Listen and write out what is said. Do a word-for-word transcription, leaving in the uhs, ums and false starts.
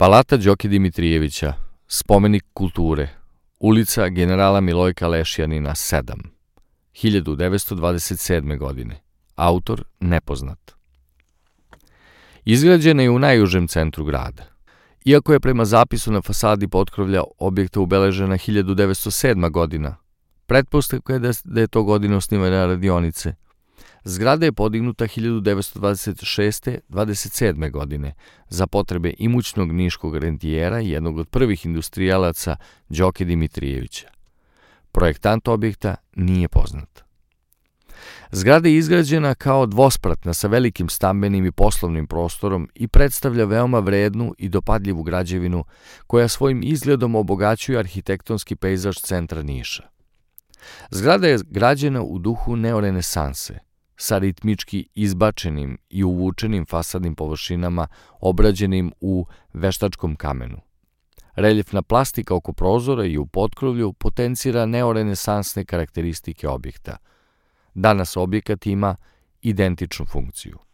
Palata Đoke Dimitrijevića, spomenik kulture, ulica generala Milojka Lešjanina sedam, hiljadu devetsto dvadeset sedme. godine, autor nepoznat. Izgrađena je u najužem centru grada. Iako je prema zapisu na fasadi potkrovlja objekta ubeležena hiljadu devetsto sedma. godina, pretpostavka je da je to godina osnivanja radionice. Zgrada je podignuta hiljadu devetsto dvadeset šeste dvadeset sedme. godine za potrebe imućnog niškog rentijera i jednog od prvih industrijalaca Đoke Dimitrijevića. Projektant objekta nije poznat. Zgrada je izgrađena kao dvospratna sa velikim stambenim i poslovnim prostorom i predstavlja veoma vrednu i dopadljivu građevinu koja svojim izgledom obogaćuje arhitektonski pejzaž centra Niša. Zgrada je građena u duhu neorenesanse, sa ritmički izbačenim i uvučenim fasadnim površinama obrađenim u veštačkom kamenu. Reljefna plastika oko prozora i u potkrovlju potencira neorenesansne karakteristike objekta. Danas objekat ima identičnu funkciju.